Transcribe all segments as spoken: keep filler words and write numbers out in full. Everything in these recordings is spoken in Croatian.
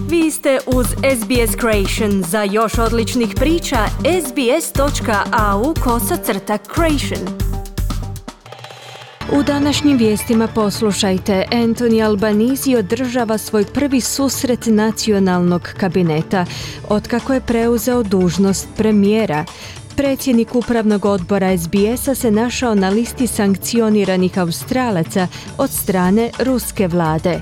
Vi ste uz S B S Creation. Za još odličnih priča, sbs.au kosacrta creation. U današnjim vijestima poslušajte. Anthony Albanese održava svoj prvi susret nacionalnog kabineta otkako je preuzeo dužnost premijera. Predsjednik upravnog odbora S B S-a se našao na listi sankcioniranih Australaca od strane ruske vlade.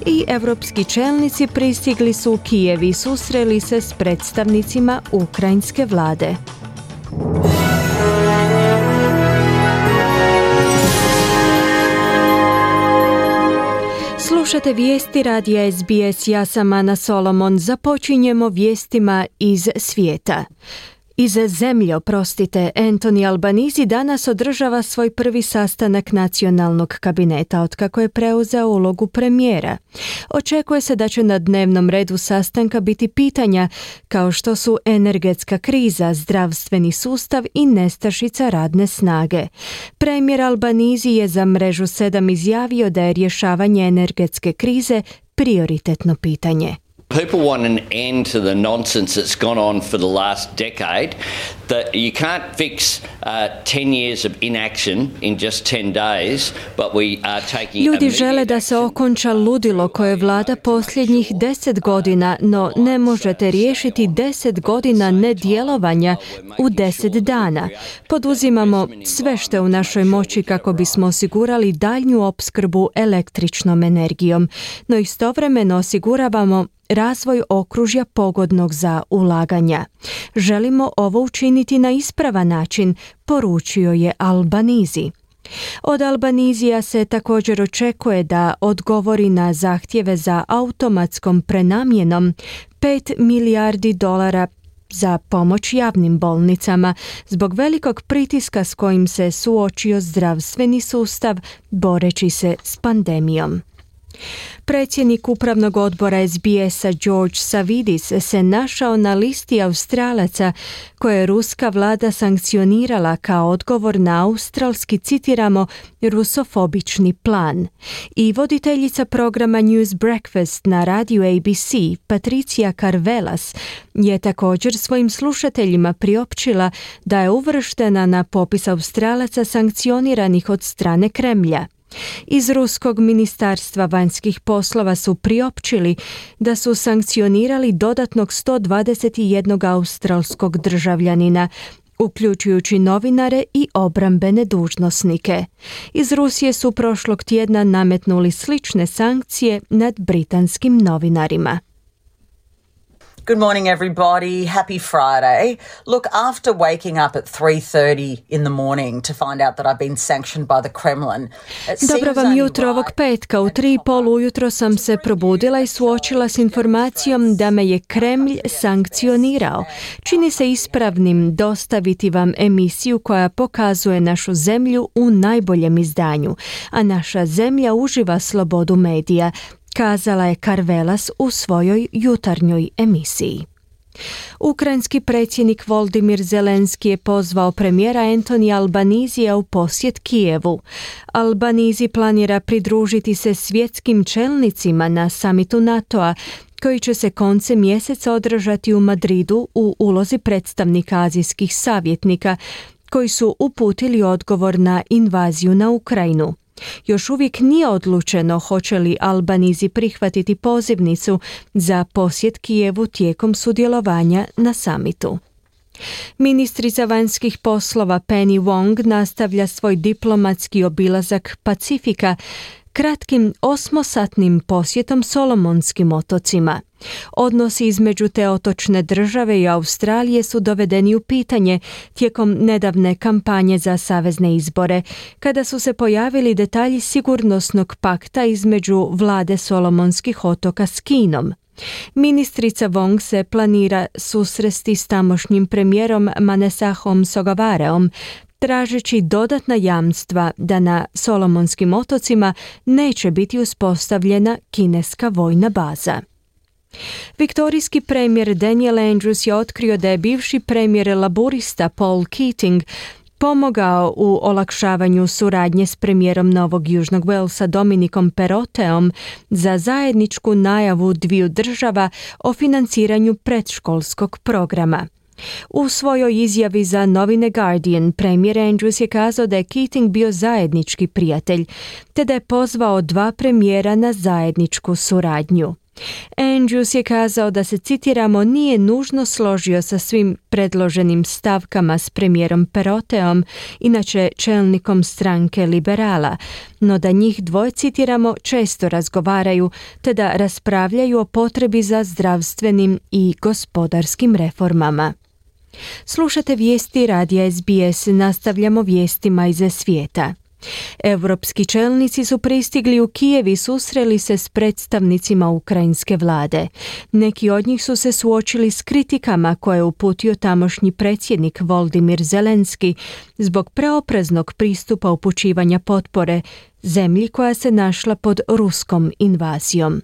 I evropski čelnici pristigli su u Kijev i susreli se s predstavnicima ukrajinske vlade. Slušate vijesti radija S B S, ja sam Ana Solomon. Započinjemo vijestima iz svijeta. Iz zemlje, oprostite, Anthony Albanese danas održava svoj prvi sastanak nacionalnog kabineta otkako je preuzeo ulogu premijera. Očekuje se da će na dnevnom redu sastanka biti pitanja kao što su energetska kriza, zdravstveni sustav i nestašica radne snage. Premijer Albanese je za mrežu sedam izjavio da je rješavanje energetske krize prioritetno pitanje. People want an end to the nonsense that's gone on for the last decade, that you can't fix uh, ten years of inaction in just ten days, but we are taking Ljudi žele da se okonča ludilo koje vlada posljednjih deset godina, no ne možete riješiti deset godina nedjelovanja u deset dana. Poduzimamo sve što je u našoj moći kako bismo osigurali daljnju opskrbu električnom energijom, no istovremeno osiguravamo razvoj okružja pogodnog za ulaganja. Želimo ovo učiniti na ispravan način, poručio je Albanese. Od Albanesija se također očekuje da odgovori na zahtjeve za automatskom prenamjenom pet milijardi dolara za pomoć javnim bolnicama zbog velikog pritiska s kojim se suočio zdravstveni sustav boreći se s pandemijom. Predsjednik upravnog odbora S B S-a George Savvidis se našao na listi Australaca koje je ruska vlada sankcionirala kao odgovor na australski, citiramo, rusofobični plan. I voditeljica programa News Breakfast na radiju A B C, Patricia Karvelas, je također svojim slušateljima priopćila da je uvrštena na popis Australaca sankcioniranih od strane Kremlja. Iz ruskog ministarstva vanjskih poslova su priopćili da su sankcionirali dodatnog sto dvadeset jedan australskog državljanina, uključujući novinare i obrambene dužnosnike. Iz Rusije su prošlog tjedna nametnuli slične sankcije nad britanskim novinarima. Good morning, everybody. Happy Friday. Look, after waking up at three thirty in the morning to find out that I've been sanctioned by the Kremlin. Dobro vam jutro ovog petka. U tri i pol ujutro sam se probudila i suočila s informacijom da me je Kremlj sankcionirao. Čini se ispravnim dostaviti vam emisiju koja pokazuje našu zemlju u najboljem izdanju, a naša zemlja uživa slobodu medija, kazala je Karvelas u svojoj jutarnjoj emisiji. Ukrajinski predsjednik Volodymyr Zelenski je pozvao premijera Anthony Albanesija u posjet Kijevu. Albanese planira pridružiti se svjetskim čelnicima na samitu NATO-a koji će se koncem mjeseca održati u Madridu u ulozi predstavnika azijskih savjetnika koji su uputili odgovor na invaziju na Ukrajinu. Još uvijek nije odlučeno hoće li Albanese prihvatiti pozivnicu za posjet Kijevu tijekom sudjelovanja na samitu. Ministrica vanjskih poslova Penny Wong nastavlja svoj diplomatski obilazak Pacifika kratkim osmosatnim posjetom Solomonskim otocima. Odnosi između te otočne države i Australije su dovedeni u pitanje tijekom nedavne kampanje za savezne izbore, kada su se pojavili detalji sigurnosnog pakta između vlade Solomonskih otoka s Kinom. Ministrica Wong se planira susresti s tamošnjim premijerom Manessahom Sogavareom, tražeći dodatna jamstva da na Solomonskim otocima neće biti uspostavljena kineska vojna baza. Viktorijski premijer Daniel Andrews je otkrio da je bivši premijer laburista Paul Keating pomogao u olakšavanju suradnje s premijerom Novog Južnog Walesa Dominikom Perotteom za zajedničku najavu dviju država o financiranju predškolskog programa. U svojoj izjavi za novine Guardian, premijer Andrews je kazao da je Keating bio zajednički prijatelj, te da je pozvao dva premijera na zajedničku suradnju. Andrews je kazao da se, citiramo, nije nužno složio sa svim predloženim stavkama s premijerom Perotteom, inače čelnikom stranke liberala, no da njih dvoje, citiramo, često razgovaraju, te da raspravljaju o potrebi za zdravstvenim i gospodarskim reformama. Slušate vijesti radija S B S, nastavljamo vijestima iz svijeta. Europski čelnici su pristigli u Kijev i susreli se s predstavnicima ukrajinske vlade. Neki od njih su se suočili s kritikama koje je uputio tamošnji predsjednik Volodymyr Zelenski zbog preopreznog pristupa upućivanja potpore zemlji koja se našla pod ruskom invazijom.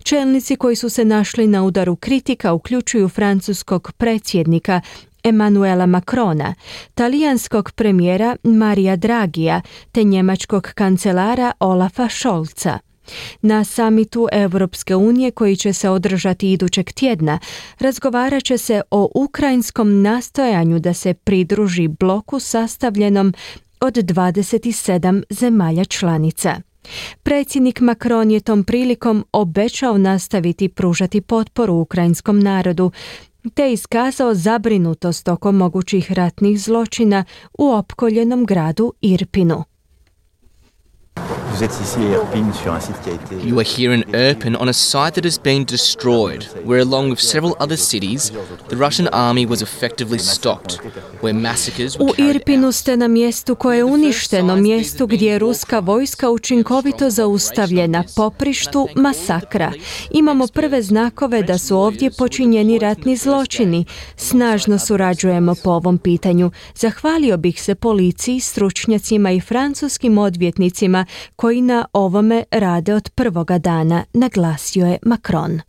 Čelnici koji su se našli na udaru kritika uključuju francuskog predsjednika Emmanuela Macrona, talijanskog premijera Marija Dragija te njemačkog kancelara Olafa Scholza. Na samitu Europske unije koji će se održati idućeg tjedna razgovarat će se o ukrajinskom nastojanju da se pridruži bloku sastavljenom od dvadeset sedam zemalja članica. Predsjednik Macron je tom prilikom obećao nastaviti pružati potporu ukrajinskom narodu, te iskazao zabrinutost oko mogućih ratnih zločina u opkoljenom gradu Irpinu. You are here in Irpin on a site that has been destroyed, where along with several other cities, the Russian army was effectively stopped, where massacres were U carried Irpinu out. ste na mjestu koje je uništeno, mjestu gdje je ruska vojska učinkovito zaustavljena, poprištu masakra. Imamo prve znakove da su ovdje počinjeni ratni zločini. Snažno surađujemo po ovom pitanju. Zahvalio bih se policiji, stručnjacima i francuskim odvjetnicima koji na ovome rade od prvoga dana, naglasio je Macron.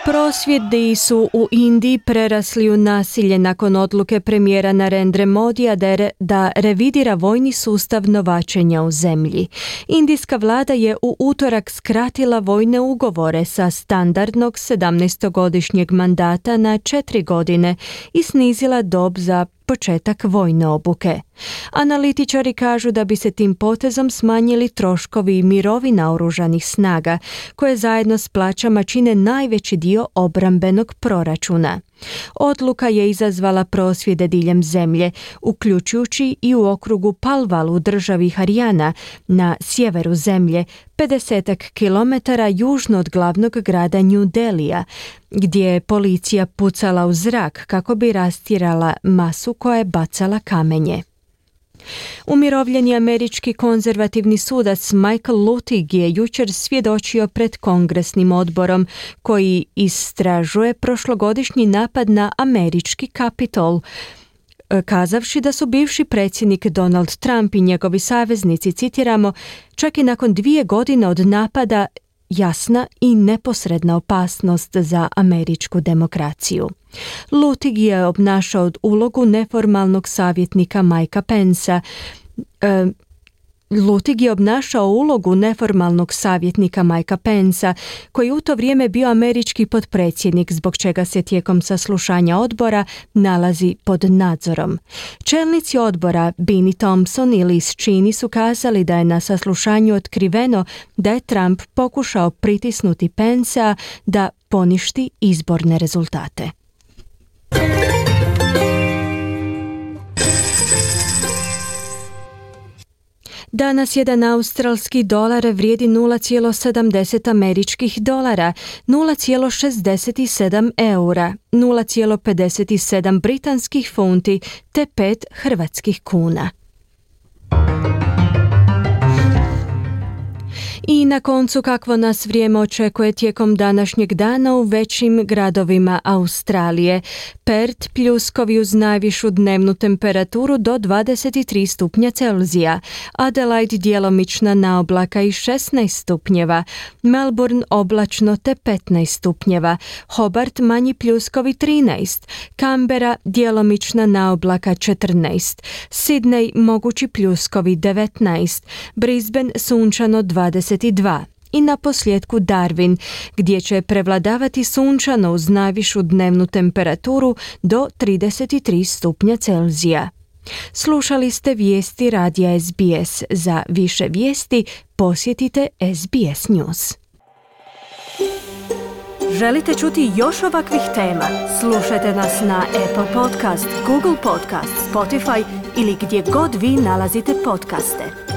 Prosvjedi su u Indiji prerasli u nasilje nakon odluke premijera Narendra Modija da, re, da revidira vojni sustav novačenja u zemlji. Indijska vlada je u utorak skratila vojne ugovore sa standardnog sedamnaestogodišnjeg mandata na četiri godine i snizila dob za početak vojne obuke. Analitičari kažu da bi se tim potezom smanjili troškovi mirovina oružanih snaga, koje zajedno s plaćama čine najveći dio obrambenog proračuna. Odluka je izazvala prosvjede diljem zemlje, uključujući i u okrugu Palwal u državi Harijana na sjeveru zemlje, pedesetak kilometara južno od glavnog grada New Delhija, gdje je policija pucala u zrak kako bi rastjerala masu koja je bacala kamenje. Umirovljeni američki konzervativni sudac Michael Luttig je jučer svjedočio pred kongresnim odborom koji istražuje prošlogodišnji napad na američki Kapitol, kazavši da su bivši predsjednik Donald Trump i njegovi saveznici, citiramo, čak i nakon dvije godine od napada jasna i neposredna opasnost za američku demokraciju. Luttig je obnašao ulogu neformalnog savjetnika Mikea Pensa. E, Luttig je obnašao ulogu neformalnog savjetnika Mikea Pensa, koji u to vrijeme bio američki potpredsjednik, zbog čega se tijekom saslušanja odbora nalazi pod nadzorom. Čelnici odbora Bennie Thompson i Liz Cheney su kazali da je na saslušanju otkriveno da je Trump pokušao pritisnuti Pensa da poništi izborne rezultate. Danas jedan australski dolar vrijedi nula zarez sedamdeset američkih dolara, nula zarez šezdeset sedam eura, nula zarez pedeset sedam britanskih funti te pet hrvatskih kuna. I I na koncu kakvo nas vrijeme očekuje tijekom današnjeg dana u većim gradovima Australije. Perth pljuskovi uz najvišu dnevnu temperaturu do dvadeset tri stupnja Celzija, Adelaide djelomična naoblaka i šesnaest stupnjeva, Melbourne oblačno te petnaest stupnjeva, Hobart manji pljuskovi trinaest, Canberra djelomična naoblaka četrnaest, Sydney mogući pljuskovi devetnaest, Brisbane sunčano dvadeset dva. I na posljedku Darwin, gdje će prevladavati sunčano uz najvišu dnevnu temperaturu do trideset tri stupnja Celzija. Slušali ste vijesti radija S B S. Za više vijesti posjetite S B S News. Želite čuti još ovakvih tema? Slušajte nas na Apple Podcast, Google Podcast, Spotify ili gdje god vi nalazite podcaste.